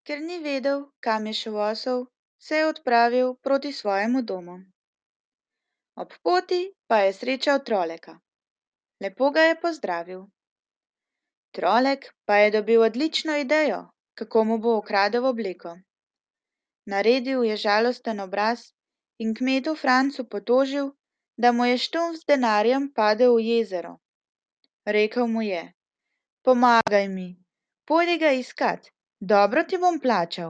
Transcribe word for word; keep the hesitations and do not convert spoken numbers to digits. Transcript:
Ker ni vedel, kam je šel osel, se je odpravil proti svojemu domu. Ob poti pa je srečal troleka. Lepo ga je pozdravil. Trolek pa je dobil odlično idejo, kako mu bo ukradel obleko. Naredil je žalosten obraz in kmetu Francu potožil, da mu je štumf z denarjem padel v jezero. Rekel mu je: Pomagaj mi, pojdi ga iskat, dobro ti bom plačal.